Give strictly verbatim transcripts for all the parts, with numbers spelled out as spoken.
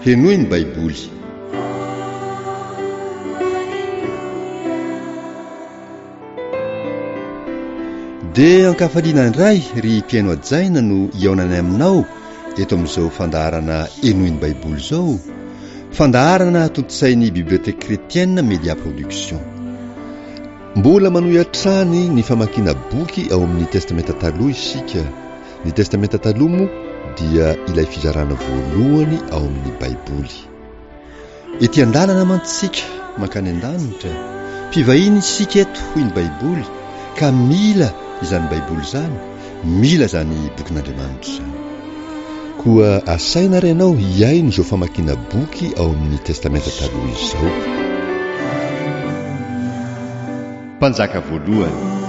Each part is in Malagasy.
Henoy ny Baiboly. Dia ankafaliana indray ry mpihaino hajaina no hihaonanay aminao eto amin'izao fandaharana Henoy ny Baiboly izao, fandaharana tontosain'ny Bibliothèque Chrétienne Media Production. Mbola manohy hatrany ny famakiana boky ao amin'ny Testamenta Taloha isika. Ny Testamenta Taloha moa dia ilay fizarana voalohany ao amin'ny Baiboly. Ety an-dalana mantsy isika mankany an-danitra, mpivahiny isika eto hoy ny Baiboly ka mila izany Baiboly izany, mila izany bokin'Andriamanitra izany. Koa asaina ary ianao hihaino izao famakiana boky ao amin'ny Testamenta Taloha izao. Mpanjaka voalohany.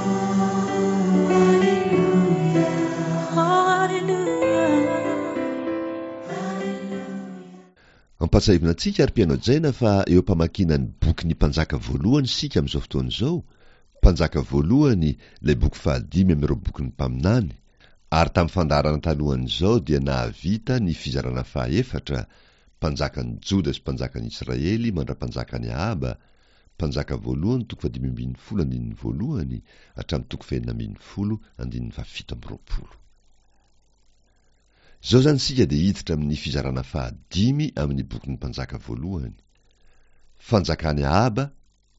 Ampahatsiahivina antsika ry mpihaino hajaina fa eo am-pamakiana ny bokin'ny Mpanjaka voalohany isika amin'izao fotoana izao, Mpanjaka voalohany ilay boky fahadimy amin'ireo bokin'ny mpaminany, ary tamin'ny fandaharana talohan'izao dia nahavita ny fizarana fahaefatra, Mpanjakan'i Joda sy Mpanjakan'i Israely mandra-panjakan'i Ahaba, Mpanjaka voalohany toko fahadimy ambin'ny folo andininy voalohany hatramin'ny toko fahenina ambin'ny folo andininy fahafito amby roapolo. Izao izany isika dia hiditra amin'ny fizarana fahadimy amin'ny bokin'ny Mpanjaka voalohany. Fanjakan'i Ahaba,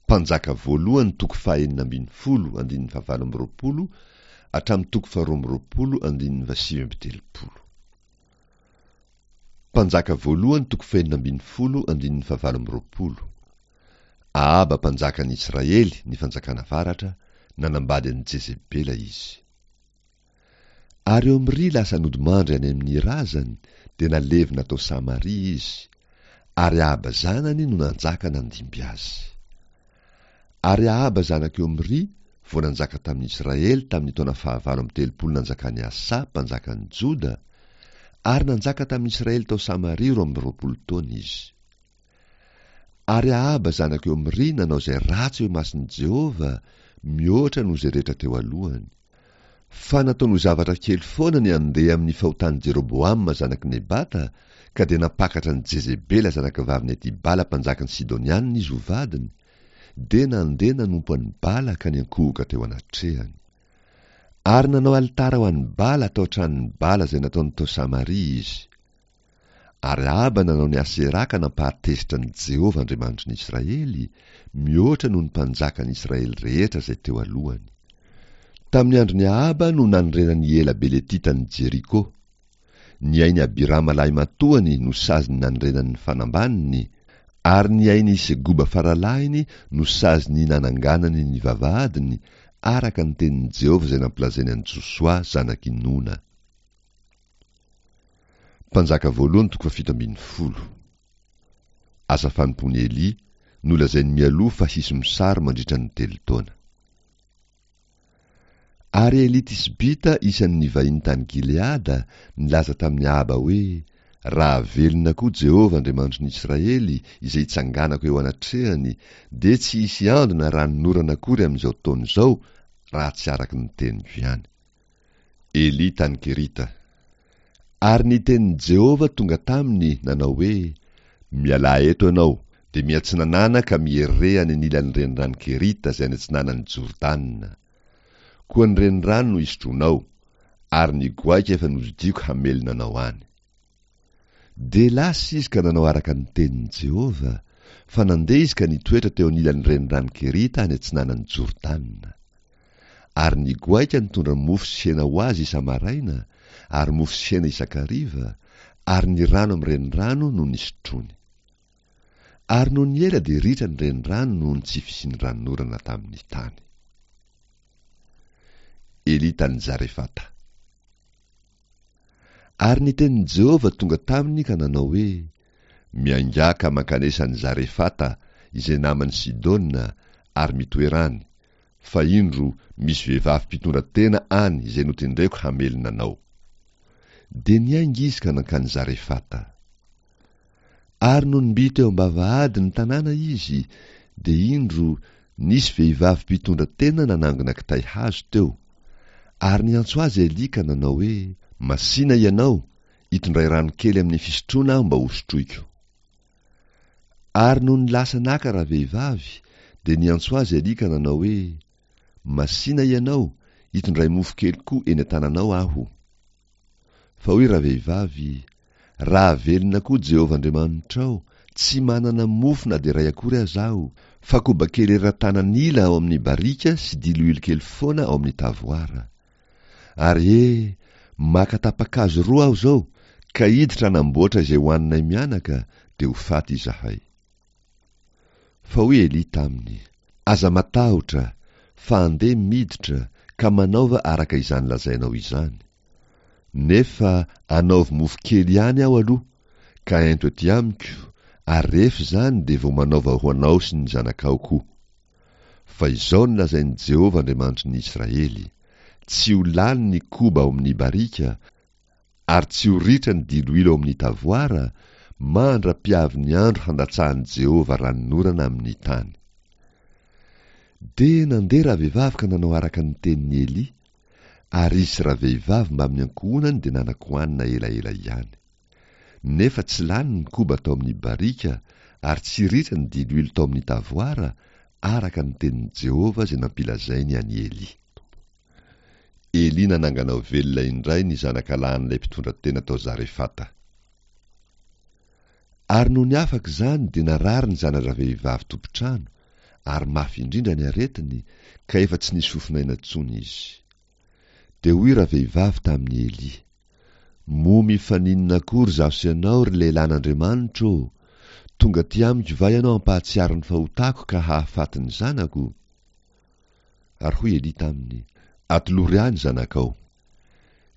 Mpanjaka voalohany toko fahenina ambin'ny folo andininy fahavalo amby roapolo hatramin'ny toko faharoa amby roapolo andininy fahasivy amby telopolo. Mpanjaka voalohany toko fahenina ambin'ny folo andininy fahavalo amby roapolo. Ahaba mpanjakan'i Israely ny fanjakana avaratra, nanambady an'i Jezebela izy. Ary Omry lasa nodimandry any amin'ny razany, dia nalevina tao Samaria izy, ary Ahaba zanany no nanjaka nandimby azy. Ary Ahaba zanak'i Omry vao nanjaka tamin'i Israely tamin'ny taona fahavalo amby telopolo nanjakan'i Asa mpanjakan'i Joda, ary nanjaka tamin'i Israely tao Samaria roa amby roapolo taona izy. Ary Ahaba zanak'i Omry nanao izay ratsy eo imason'i Jehovah, mihoatra noho izay rehetra teo alohany. Fa nataony ho zavatra kely foana ny handeha amin'ny fahotan'i Jeroboama zanak'i Nebata, ka dia nampakatra an'i Jezebela zanakavavin'i Etibala mpanjakan'ny Sidonianina izy ho vadiny, dia nandeha nanompo an'i Bala ka niankohoka teo anatrehany. Ary nanao alitara ho an'i Bala tao an-tranon'i Bala izay nataony tao Samaria izy. Ary Ahaba nanao ny Asera ka nampahatezitra an'i Jehovah Andriamanitry ny Israely, mihoatra noho ny mpanjakan'ny Israely rehetra izay teo alohany. Tamin'ny andron'i Ahaba no nanorenan'i Ela Beletita an'i Jeriko. Ny ain'i Abirama lahimatoany no sazin'ny nanorenany ny fanambaniny, ary ny ain'i Segoba faralahiny no sazin'ny nananganany ny vavahadiny, araka ny tenin'i Jehovah izay nampilazainy an'i Josoa zanak'i Nona. Mpanjaka voalohany toko fahafito ambin'ny folo. Asa fanompoan'i Elia, nolazainy mialoha fa hisy mosary mandritra ny telo taona. Ary Elia Tisbita isan'ny nivahiny tany Gileada nilaza tamin'i Ahaba hoe, Raha velona koa Jehovah Andriamanitry ny Israely izay itsanganako eo anatrehany, dia tsy hisy ando na ranonorana akory amin'izao taona izao raha tsy araka ny teniko ihany. Elia tany Kerita. Ary ny tenin'i Jehovah tonga taminy, nanao hoe, Mialà eto ianao, dia miatsinanàna ka mihereha any anilan'ny renirano Kerita izay any atsinanan'i Jordana. Koa ny renirano no hisotroanao, ary ny goaika efa nodidiako hamelona anao any. Dia lasa izy ka nanao araka ny tenin'i Jehovah, fa nandeha izy ka nitoetra teo anilan'ny renirano Kerita any atsinanan'i Jordana. Ary ny goaika nitondra mofo sy hena ho azy isa-maraina, ary mofo sy hena isan-kariva, ary ny rano amin'ny renirano no nisotroany. Ary nony ela dia ritra ny renirano noho ny tsy fisian'ny ranonorana tamin'ny tany. Elia tany Zarefata. Ary ny tenin'i Jehovah tonga taminy ka nanao hoe, Miaingà ka mankanesa any Zarefata, izay naman'i Sidona, ary mitoera any, fa indro, misy vehivavy mpitondra tena any izay notendreko hamelona anao. Dia niainga izy ka nankany Zarefata. Ary nony mby teo am-bavahady ny tanàna izy, dia indro, nisy vehivavy mpitondra tena nanangona kitay hazo teo. Ary niantso azy Elia ka nanao hoe, Masìna ianao, itondray rano kely amin'ny fisotroana aho mba hosotroiko. Ary nony lasa naka ravehivavy, dia niantso azy Elia ka nanao hoe, Masìna ianao, itondray mofo kely koa eny an-tananao aho. Fa hoy ravehivavy, Raha velona koa Jehovah Andriamanitrao, tsy manana mofo na dia iray akory aza aho, fa koba kely eran-tanan'ila ao amin'ny barika sy diloilo kely foana ao amin'ny tavoara. Ary he, maka tapa-kazo roa aho izao, ka hiditra hanamboatra izay hohaninay mianaka, dia ho faty izahay. Fa hoy Elia taminy, Aza matahotra, fa andeha miditra, ka manaova araka izany lazainao izany. Nefa anaovy mofo kely ihany aho aloha, ka ento aty amiko, ary rehefa izany dia vao manaova ho anao sy ny zanakao koa. Fa izao no lazain'i Jehovah Andriamanitry ny Israely, Tsy ho lany ny koba ao amin'ny barika, ary tsy ho ritra ny diloilo ao amin'ny tavoara, mandra-piavin'ny andro handatsahan'i Jehovah ranonorana amin'ny tany. Dia nandeha ravehivavy ka nanao araka ny tenin'i Elia, ary izy sy ravehivavy mbamin'ny ankohonany dia nanan-kohanina elaela ihany. Nefa tsy lany ny koba tao amin'ny barika, ary tsy ritra ny diloilo tao amin'ny tavoara, araka ny tenin'i Jehovah izay nampilazainy an'i Elia. Elia nanangana ho velona indray ny zanakalahin'ilay mpitondra tena tao Zarefata. Ary nony afaka izany dia narary ny zana-dravehivavy tompon-trano, ary mafy indrindra ny aretiny, ka efa tsy nisy fofon'aina intsony izy. Dia hoy ravehivavy tamin'i Elia, Moa mifaninona akory izaho sy ianao, ry lehilahin'Andriamanitra ô? Tonga aty amiko va ianao hampahatsiaro ny fahotako ka hahafaty ny zanako? Ary hoy Elia taminy, Atolory ahy ny zanakao.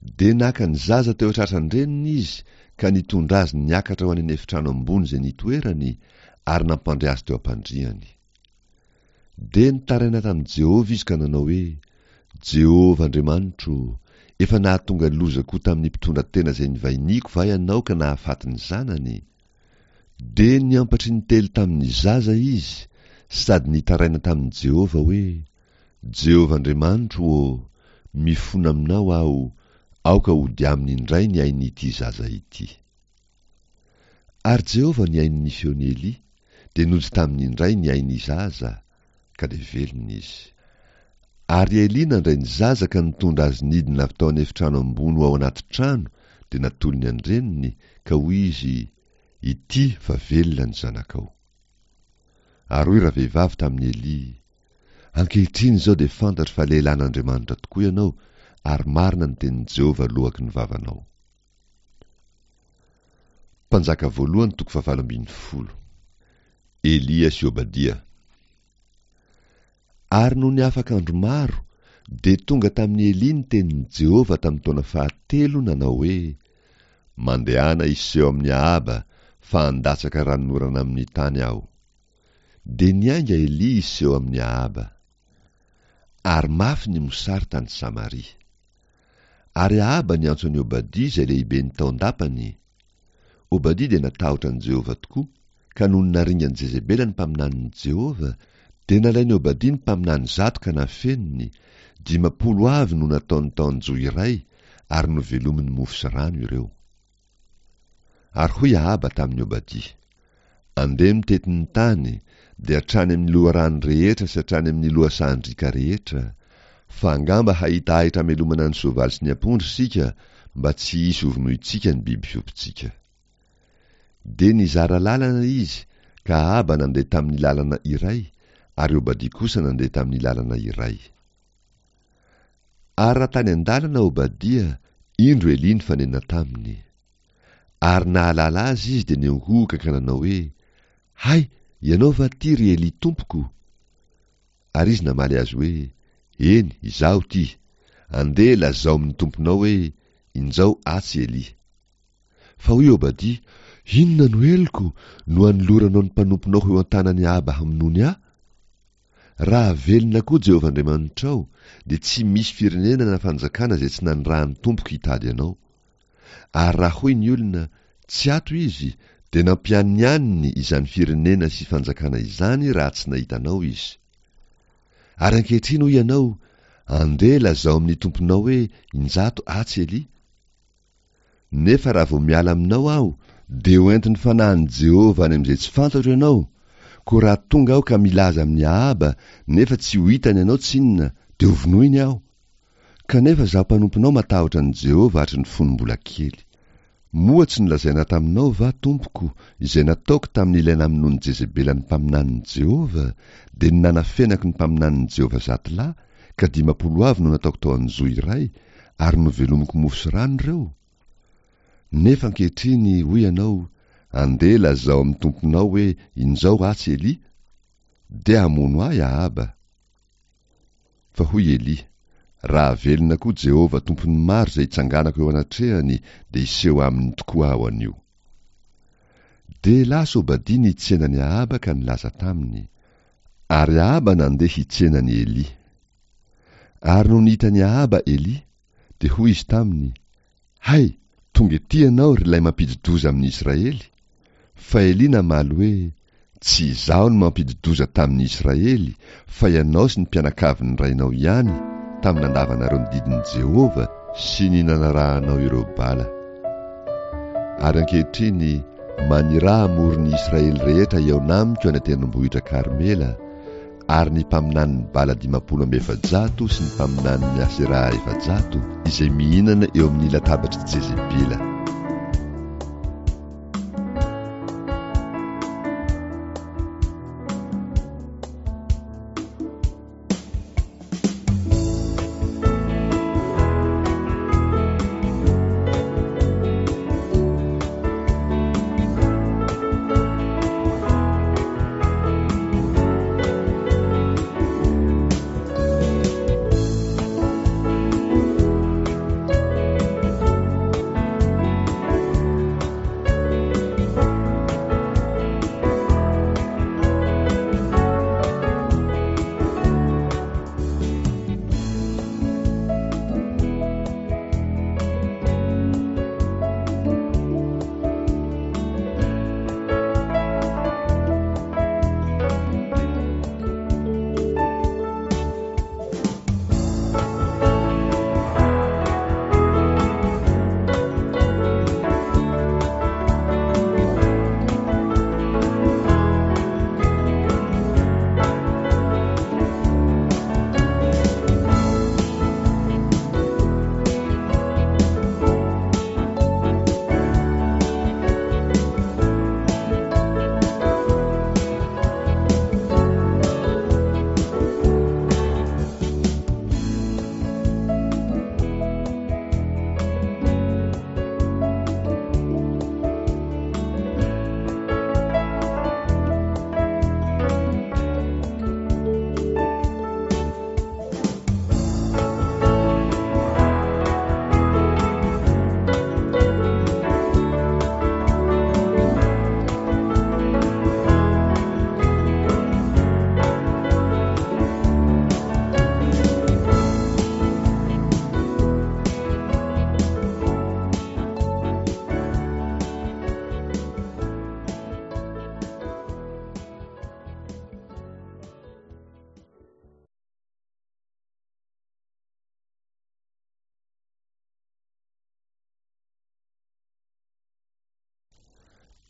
Dia naka ny zaza teo an-tratran-dreniny izy ka nitondra azy niakatra ho any an'efitrano ambony izay nitoerany, ary nampandry azy teo am-pandriany. Dia nitaraina tamin'i Jehovah izy ka nanao hoe, Jehovah Andriamanitro, efa nahatonga loza koa tamin'ny mpitondra tena izay nivahiniako va ianao ka nahafaty ny zanany? Dia niampatry ny telo tamin'ny zaza izy sady nitaraina tamin'i Jehovah hoe, Jehovah Andriamanitro ô, mifona aminao aho, aoka hody aminy indray ny ain'ity zaza ity. Ary Jehovah nihaino ny feon'i Elia, dia nody taminy indray ny ain'ny zaza, ka dia velona izy. Ary Elia nandray ny zaza ka nitondra azy nidina avy tao an'efitrano ambony ho ao anaty trano, dia natolony an-dreniny, ka hoy izy, Ity fa velona ny zanakao. Ary hoy ravehivavy tamin'i Elia, Ankehitriny izao dia fantatro fa lehilahin'Andriamanitra tokoa ianao, ary marina ny tenin'i Jehovah loaky ny vavanao. Mpanjaka voalohany toko fahavalo ambin'ny folo. Elia sy Obadia. Ary nony afaka andro maro, dia tonga tamin'i Elia ny tenin'i Jehovah tamin'ny taona fahatelo nanao hoe, Mandehana hiseho amin'i Ahaba, fa handatsaka ranonorana amin'ny tany aho. Dia niainga Elia hiseho amin'i Ahaba. Ary mafy ny mosary tany Samaria. Ary Ahaba niantso an'i Obadia izay lehiben'ny tao an-dapany. Obadia dia natahotra an'i Jehovah tokoa, ka nony naringan'i Jezebela ny mpaminanin'i Jehovah, dia nalain'i Obadia ny mpaminany zato ka nafeniny, dimampolo avy no nataony tao an-johy iray, ary novelominy mofo sy rano ireo. Ary hoy Ahaba tamin'i Obadia, Andeha mitety ny tany, dia hatrany amin'ny loharano rehetra sy hatrany amin'ny lohasahan-driaka rehetra, fa angamba hahita ahitra hamelomana ny soavaly sy ny ampondra isika, mba tsy hisy hovonointsika ny biby fiompintsika. Dia nizara lalana izy, ka Ahaba nandeha tamin'ny lalana iray, ary Obadia kosa nandeha tamin'ny lalana iray. Ary raha tany an-dalana Obadia, indro Elia nifanena taminy. Ary nahalala azy izy dia niankohoka ka nanao hoe, Hay, ianao va ity, ry Elia tompoko? Ary izy namaly azy hoe, Eny, izaho ity. Andeha lazao amin'ny tomponao hoe, Injao atsy Elia. Fa hoy Obadia, Inona no heloko, no anoloranao ny mpanomponao ho eo an-tanan'i Ahaba hamonoany ahy? Raha velona koa Jehovah Andriamanitrao, dia tsy misy firenena na fanjakana izay tsy nanirahan'ny tompoko hitady anao. Ary raha hoy ny olona, Tsy ato izy, dia nampianianiny izany firenena sy fanjakana izany raha tsy nahita anao izy. Ary ankehitriny hoy ianao, Andeha lazao amin'ny tomponao hoe, Injato atsy Elia. Nefa raha vao miala aminao aho, Dia ho entin'ny fanahin'i Jehovah any amin'izay tsy fantatro ianao, koa raha tonga aho ka milaza amin'i Ahaba, nefa tsy ho hitany ianao tsinona, dia hovonoiny aho. Kanefa izaho mpanomponao matahotra an'i Jehovah hatry ny fony mbola kely. Moa tsy nolazaina taminao va, tompoko, izay nataoko tamin'ilay namonoan'i Jezebela ny mpaminanin'i Jehovah, dia ny nanafenako ny mpaminanin'i Jehovah zato lahy, ka dimampolo avy no nataoko tao an-johy iray, ary novelomiko mofo sy rano ireo? Nefa ankehitriny, hoy ianao, andeha lazao amin'ny tomponao hoe, Injao atsy Elia. Dia hamono ahy Ahaba. Fa hoy Elia, Raha velona koa Jehovah Tompon'ny maro izay itsanganako eo anatrehany, dia hiseho aminy tokoa aho anio. Dia lasa Obadia nitsena an'i Ahaba ka nilaza taminy. Ary Ahaba nandeha hitsena an'i Elia. Ary nony hitan'i Ahaba Elia, dia hoy izy taminy, Hay, tonga ety ianao, ry ilay mampidi-doza amin'i Israely! Fa Elia namaly hoe, Tsy izaho no mampidi-doza tamin'i Israely, fa ianao sy ny mpianakavin'ny rainao ihany, tamin'ny nandavanareo ny didin'i Jehovah sy ny nanarahanao ireo Bala. Ary ankehitriny, maniraha hamory ny Israely rehetra hihaona amiko any an-tendrombohitra Karmela, ary ny mpaminanin'i Bala dimampolo amby efajato sy ny mpaminanin'i Aseraha efajato, izay mihinana eo amin'ny latabatr'i Jezebela.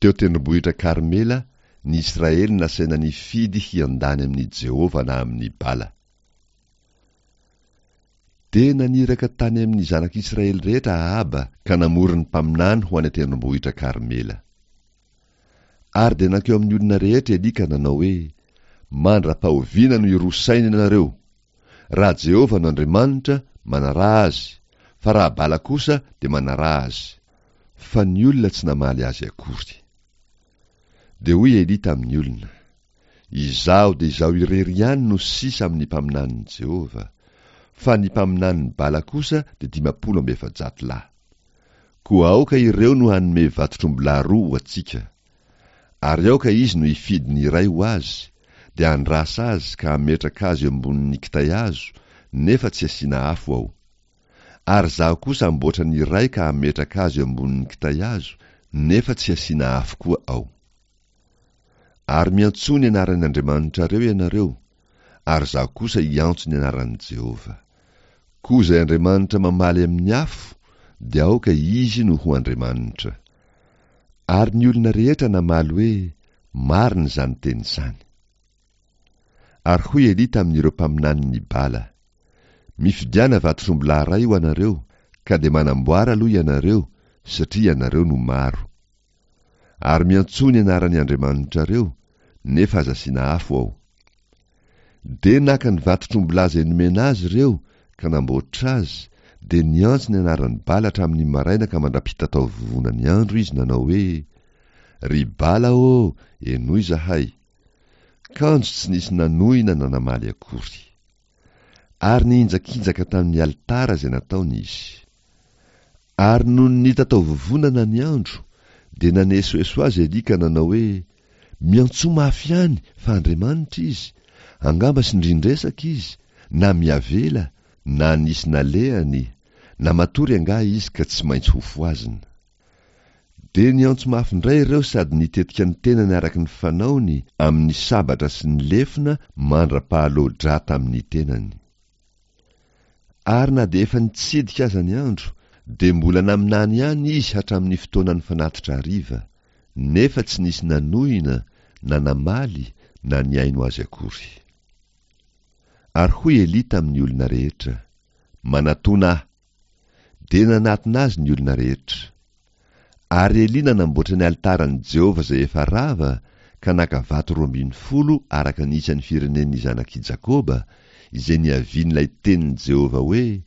Teo tendrombohitra Karmela, ny Israely nasaina nifidy hiandany amin'i Jehovah na amin'i Bala. Dia naniraka tany amin'ny zanak'Israely rehetra Ahaba ka namory ny mpaminany ho any an-tendrombohitra Karmela. Ary dia nankeo amin'ny olona rehetra Elia ka nanao hoe, Mandra-pahoviana no hiroa saina ianareo? Raha Jehovah no Andriamanitra, manaraha Azy, fa raha Bala kosa dia manaraha azy. Fa ny olona tsy namaly azy akory. Dia hoy Elia tamin'ny olona, Izaho dia izaho irery ihany no sisa amin'ny mpaminanin'i Jehovah, fa ny mpaminanin'i Bala kosa dia dimampolo amby efajato lahy. Koa aoka ireo no hanome vatotr'ombilahy roa ho antsika. Ary aoka izy no hifidy ny iray ho azy, dia handrasa azy ka hametraka azy eo ambonin'ny kitay hazo, nefa tsy asiana afo ao. Ary izaho kosa hamboatra ny iray ka hametraka azy eo ambonin'ny kitay hazo, nefa tsy asiana afo koa ao. Ary miantsoa ny anaran'ny Andriamanitrareo ianareo, ary izaho kosa hiantso ny anaran'i Jehovah. Koa izay Andriamanitra mamaly amin'ny afo, dia aoka izy no ho Andriamanitra. Ary ny olona rehetra namaly hoe, Marina izany teny izany. Ary hoy Elia tamin'ireo mpaminanin'i Bala, Mifidiana vatotr'ombilahy iray ho anareo, ka dia manamboara aloha ianareo, satria ianareo no maro. Ary miantsoa ny anaran'ny andriamanitrareo, nefa aza asiana afo ao. Dia naka ny vatotr'ombilahy izay nomena azy ireo ka namboatra azy, dia niantso ny anaran'i Bala hatramin'ny maraina ka mandra-pitatao vovonany andro izy nanao hoe, Ry Bala ô, henoy izahay. Kanjo tsy nisy nanohina na namaly akory. Ary nihinjakinjaka tamin'ny alitara izay nataony izy. Ary nony nitatao vovonana ny andro, dia nanesoeso azy Elia ka nanao hoe, Miantsoa mafy ihany fa Andriamanitra izy, angamba sindrin-dresaka izy, na miavela, na nisy nalehany, na matory angaha izy ka tsy maintsy hofohazina. Dia niantso mafy indray ireo sady nitetika ny tenany araka ny fanaony amin'ny sabatra sy ny lefona mandra-pahaloa-drà tamin'ny tenany. Ary na dia efa nitsidika aza ny andro, dia mbola naminany ihany izy hatramin'ny fotoanan'ny fanatitra hariva, nefa tsy nisy nanohina na namaly na nihaino azy akory. Ary hoy Elia tamin'ny olona rehetra, Manatona ahy. Dia nanatona azy ny olona rehetra. Ary Elia nanamboatra ny alitaran'i Jehovah izay efa rava, ka naka vato roa ambin'ny folo araka ny isan'ny firenen'ny zanak'i Jakoba, izay niavian'ilay tenin'i Jehovah hoe,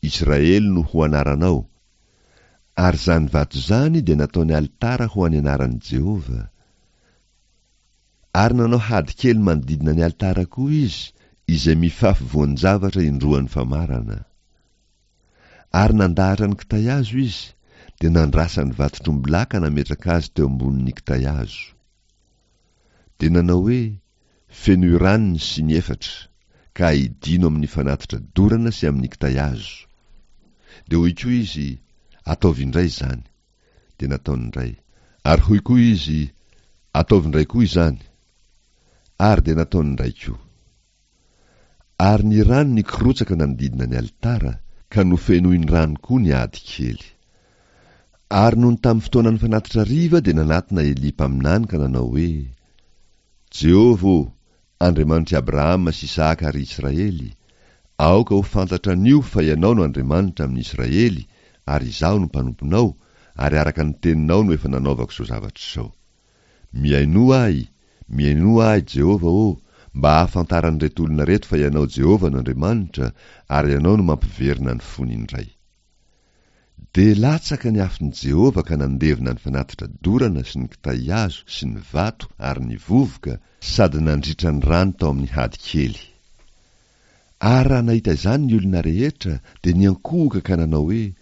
Israely no ho anaranao. Ary izany vato izany dia nataony alitara ho an'ny anaran'i Jehovah. Ary nanao hady kely manodidina ny alitara koa izy, izay mifafy voan-javatra indroan'ny famarana. Ary nandahatra ny kitay hazo izy, dia nandrasa ny vatotr'ombilahy ka nametraka azy teo ambonin'ny kitay hazo. Dia nanao hoe, Fenoy rano ny siny efatra, ka aidino amin'ny fanatitra dorana sy amin'ny kitay hazo. Dia hoy koa izy, Ataovy indray izany. Dia nataony indray. Ary hoy koa izy, Ataovy indray koa izany. Ary dia nataony indray koa. Ary ny rano nikorotsaka nanodidina ny alitara, ka nofenoiny rano koa ny ady kely. Ary nony tamin'ny fotoanan'ny fanatitra hariva dia nanatona Elia mpaminany ka nanao hoe, Jehovah ô, Andriamanitr'i Abrahama sy Isahaka ary Israely, aoka ho fantatra anio fa Ianao no Andriamanitra amin'ny Israely, ary izaho no mpanomponao, ary araka ny teninao no efa nanaovako izao zavatra izao. Mihainoa ahy, mihainoa ahy, Jehovah ô, mba hahafantaran'ireto olona ireto fa Ianao Jehovah no Andriamanitra, ary Ianao no mampiverina ny fony indray. Dia latsaka ny afon'i Jehovah ka nandevona ny fanatitra dorana sy ny kitay hazo sy ny vato ary ny vovoka, sady nandritra ny rano tao amin'ny hady kely. Ary raha nahita izany ny olona rehetra, dia niankohoka ka nanao hoe,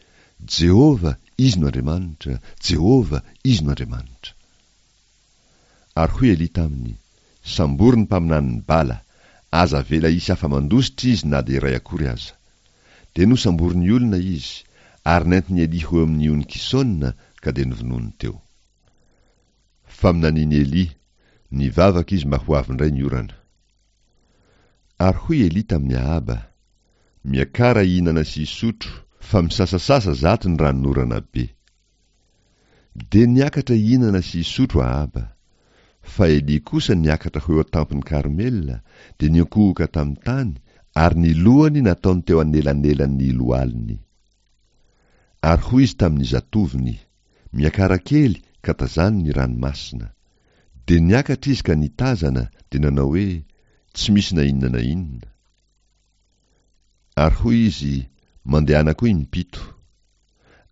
Jehovah, Izy no Andriamanitra, Jehovah, Izy no Andriamanitra. Ary hoy Elia taminy, Sambory ny mpaminanin'i Bala, aza avela hisy afa-mandositra izy na dia iray akory aza. Dia nosamborin'ny olona izy, ary nentin'i Elia ho eo amin'ny ony Kisona, ka dia novonoiny teo. Faminanian'i Elia, nivavaka izy mba ho avy indray ny orana. Ary hoy Elia tamin'i Ahaba, Miakara hihinana sy hisotro, fa misasasasa zato ny ranonorana be. Dia niakatra hihinana sy hisotro Ahaba. Fa Elia kosa niakatra ho eo an-tampon'i Karmela, dia niankohoka tamin'ny tany, ary ny lohany nataony teo anelanelan'ny lohaliny. Ary hoy izy tamin'ny zatovony, Miakara kely, ka tazano ny ranomasina. Dia niakatra izy ka nitazana, dia nanao hoe, Tsy misy na inona na inona. Ary hoy izy, Mandehana koa impito.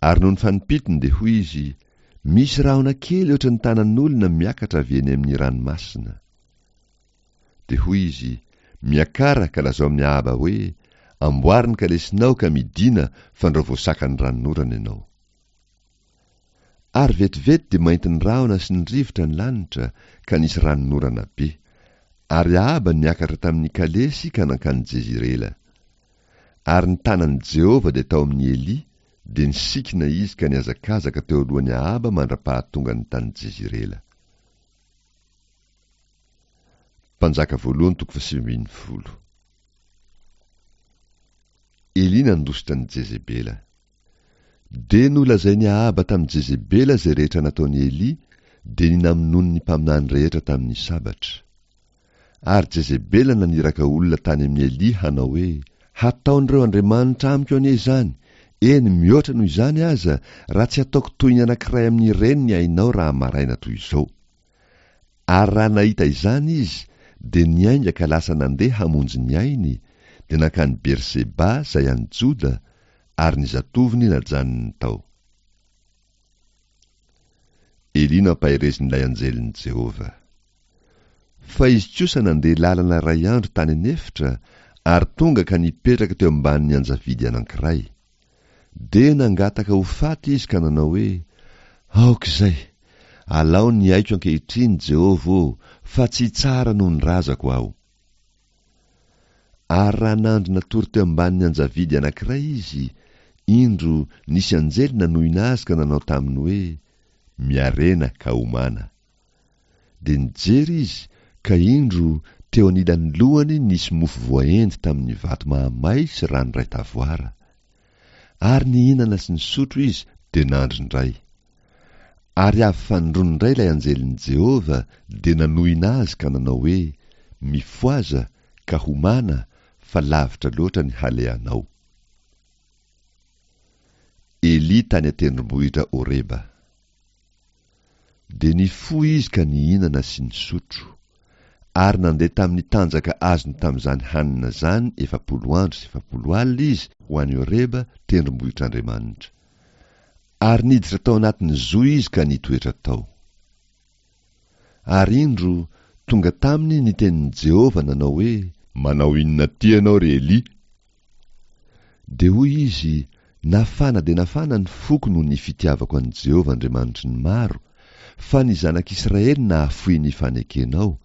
Ary nony fanimpitony dia hoy izy, Misy rahona kely ohatran'ny tanan'olona miakatra avy eny amin'ny ranomasina. Dia hoy izy, Miakara ka lazao amin'i Ahaba hoe, Amboary ny kalesinao ka midìna fandrao voasakan'ny ranonorana ianao. Ary vetivety dia maintin'ny rahona sy ny rivotra ny lanitra, ka nisy ranonorana be. Ary Ahaba niakatra tamin'ny kalesy ka nankany Jezirela. Ary ny tanan'i Jehovah dia tao amin'i Elia, dia nisikina izy ka nihazakazaka teo alohan'i Ahaba mandra-pahatongany tany Jezirela. Mpanjaka voalohany toko fahasivy ambin'ny folo. Elia nandositra an'i Jezebela. Dia nolazain'i Ahaba tamin'i Jezebela izay rehetra nataon'i Elia, dia ny namonoany ny mpaminany rehetra tamin'ny sabatra. Ary Jezebela naniraka olona tany amin'i Elia hanao hoe, Hataon'ireo andriamanitra amiko anie izany, eny mihoatra noho izany aza, raha tsy ataoko toy ny anankiray amin'ireny ny ainao raha maraina toy izao. Ary raha nahita izany izy, dia niainga ka lasa nandeha hamonjy ny ainy, dia nankany Berseba izay any Joda, ary ny zatovony najanony tao. Elia nampaherezin'ilay anjelin'i Jehovah. Fa izy kosa nandeha lalana iray andro tany an'efitra, ary tonga ka nipetraka teo ambanin'ny anjavidy anankiray. Dia nangataka ho faty izy ka nanao hoe, Aoka izay! Alao ny aiko ankehitriny, Jehovah ô, fa tsy tsara noho ny razako aho. Ary raha nandry natory teo ambanin'ny anjavidy anankiray izy, indro, nisy anjely nanohina azy ka nanao taminy hoe, Miarena ka homana. Dia nijery izy, ka indro, teo anilan'ny lohany nisy mofo voaendy tamin'ny vato mahamay sy rano iray tavoara. Ary nihinana sy nisotro izy, dia nandry indray. Ary avy fanindroany indray ilay anjelin'i Jehovah, dia nanohina azy ka nanao hoe, Mifohaza, ka homana, fa lavitra loatra ny halehanao. Elia tany an-tendrombohitra Horeba. Dia nifoha izy ka nihinana sy nisotro. Ary nandeha tamin'ny tanjaka azony tamin'izany hanina izany efapolo andro sy efapolo alina izy ho any Horeba, tendrombohitr'Andriamanitra. Ary niditra tao anatin'ny zohy izy ka nitoetra tao. Ary indro, tonga taminy ny tenin'i Jehovah nanao hoe, Manao inona aty ianao, ry Elia? Dia hoy izy, Nafana dia nafana ny foko noho ny fitiavako an'i Jehovah Andriamanitry ny maro, fa ny zanak'Israely nahafoy ny fanekenao,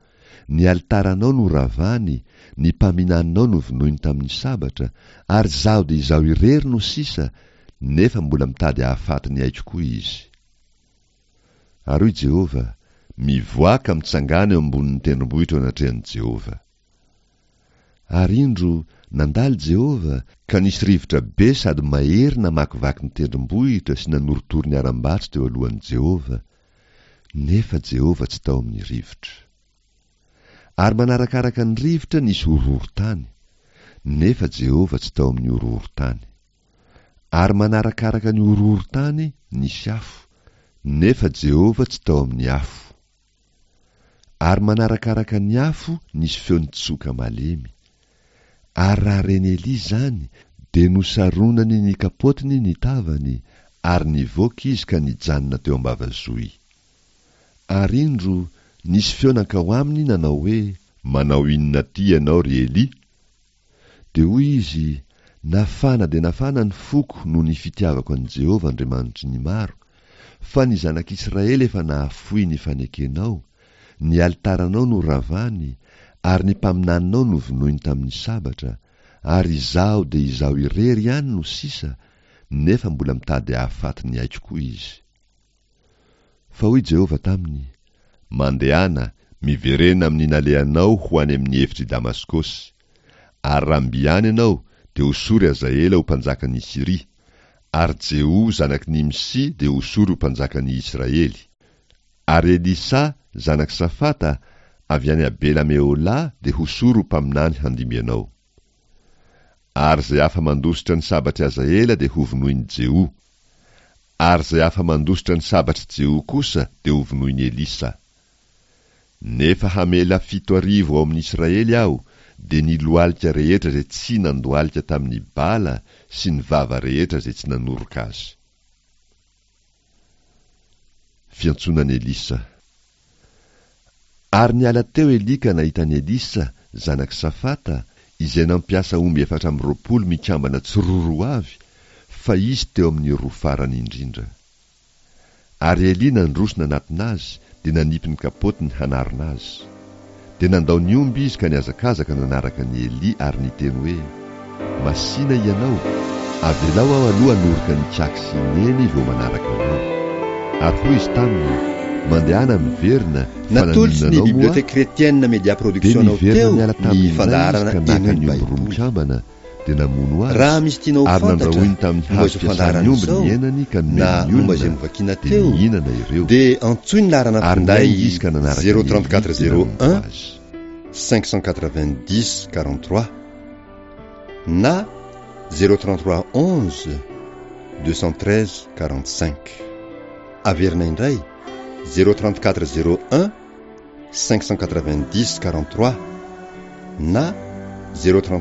ny alitaranao noravany, ny mpaminaninao novonoiny tamin'ny sabatra, ary izaho dia izaho irery no sisa, nefa mbola mitady hahafaty ny aiko koa izy. Ary hoy Jehovah, Mivoaha ka mitsangàna eo ambonin'ny tendrombohitra eo anatrehan'i Jehovah. Ary indro, nandalo Jehovah, ka nisy rivotra be sady mahery namakivaky ny tendrombohitra sy nanorotoro ny harambato teo alohan'i Jehovah, nefa Jehovah tsy tao amin'ny rivotra. Ary manarakaraka ny rivotra nisy horohorontany, nefa Jehovah tsy tao amin'ny horohorontany. Ary manarakaraka ny horohorontany nisy afo, nefa Jehovah tsy tao amin'ny afo. Ary manarakaraka ny afo nisy feo nitsoka malemy. Ary raha ren'i Elia izany, dia nosaronany ny kapotiny ny tavany, ary nivoaka izy ka nijanona teo am-bavazohy. Ary indro, nisy feo nankao aminy nanao hoe, Manao inona aty ianao, ry Elia? Dia hoy izy, Nafana dia nafana ny foko noho ny fitiavako an'i Jehovah Andriamanitry ny maro, fa ny zanak'Israely efa nahafoy ny fanekenao, ny alitaranao noravany, ary ny mpaminaninao novonoiny tamin'ny sabatra, ary izaho dia izaho irery ihany no sisa, nefa mbola mitady hahafaty ny aiko koa izy. Fa hoy Jehovah taminy, Mandehana, miverena amin'ny nalehanao ho any amin'ny efitr'i Damaskosy. Ary raha mby any ianao, dia hosory Hazaela ho mpanjakan'i Syria, ary Jeho zanak'i Nimsy dia hosory ho mpanjakan'i Israely. Ary Elisa zanak'i Safata, avy any Abela-Meholà, dia hosory ho mpaminany handimby anao. Ary izay afa-mandositra ny sabatr'i Hazaela dia hovonoin'i Jeho. Ary izay afa-mandositra ny sabatr'i Jeho kosa dia hovonoin'i Elisa. Nefa hamela fito arivo ao amin'ny Israely aho, dia ny lohalika rehetra izay tsy nandohalika tamin'ny Bala sy ny vava rehetra izay tsy nanoroka azy. Fiantsoana an'i Elisa. Ary niala teo Elia ka nahita an'i Elisa, zanak'i Safata, izay nampiasa omby efatra amby roapolo mikambana tsiroaroa avy, fa izy teo amin'ny roa farany indrindra. Ary Elia nandroso nanatona azy, dia nanipy ny kapotiny hanarona azy. Dia nandao ny omby izy ka nihazakazaka nanaraka an'i Elia ary niteny hoe, Masìna ianao, avelao aho aloha hanoroka an'i Ikaky sy i Neny vao manaraka anao. Ary hoy izy taminy, Mandehana miverina, fa Natolotry naninona ny anao moa aho? Bibliothèque Chrétienne Media Dia Production anao niverina teo niala ny taminy indray izy fandaharana ka naka Henoy ny ny omby roa Baiboly. mikambana, Dia namono azy Raha misy tianao ho ary fantatra nandrahoiny tamin'ny momba hazo izao fiasan'ny fandaharana omby izao ny henany ka na nomeny ny momba izay olona, novakiana dia teo, nihinana ireo. dia antsoy ny laharana Ary finday niainga izy ka nanaraka zéro an'i trente Elia quatre dia zéro nanompo un azy. cinq cent quatre-vingt-dix quarante-trois na zéro trente-trois onze deux cent treize quarante-cinq. Averina indray, zéro trente-quatre zéro un cinq cent quatre-vingt-dix quarante-trois na zéro trente